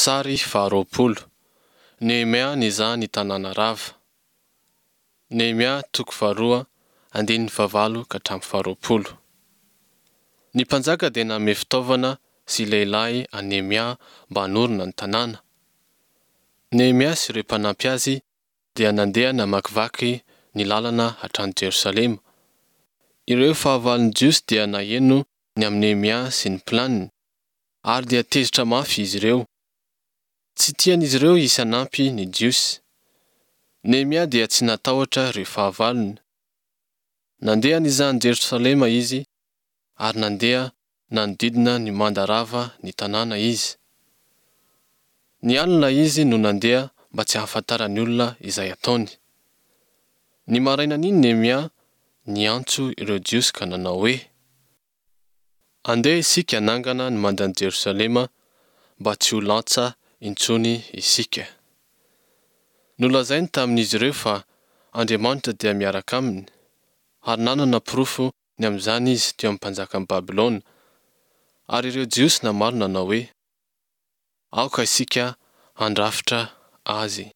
Sary faharoapolo, Nehemia nizaha ny tanàna rava. Nehemia toko faharoa andininy fahavalo ka hatramin'ny faharoapolo. Ny mpanjaka dia nanome fitaovana sy lehilahy an'i Nehemia mba hanorina ny tanàna. Nehemia sy ireo mpanampy azy dia nandeha namakivaky ny lalana hatrany Jerosalema. Ireo fahavalon'ny Jiosy dia naheno ny amin'i Nehemia sy ny planiny, ary dia tezitra mafy izy ireo. Tsy tian'izy ireo hisy hanampy ny Jiosy. Nehemia dia tsy natahotra ireo fahavalony. Nandeha nizaha an'i Jerosalema izy, ary nandeha nanodidina ny manda rava ny tanàna izy. Ny alina izy no nandeha mba tsy hahafantaran'ny olona izay ataony. Ny marainan'iny Nehemia niantso ireo Jiosy ka nanao hoe, Andeha isika hanangana ny mandan'i Jerosalema mba tsy ho lantsa intsony isika. Nolazainy tamin'izy ireo fa Andriamanitra dia miaraka aminy, ary nanana porofo ny amin'izany izy teo amin'ny mpanjakan'i Babylona. Ary ireo Jiosy namaly nanao hoe, Aoka isika handrafitra azy.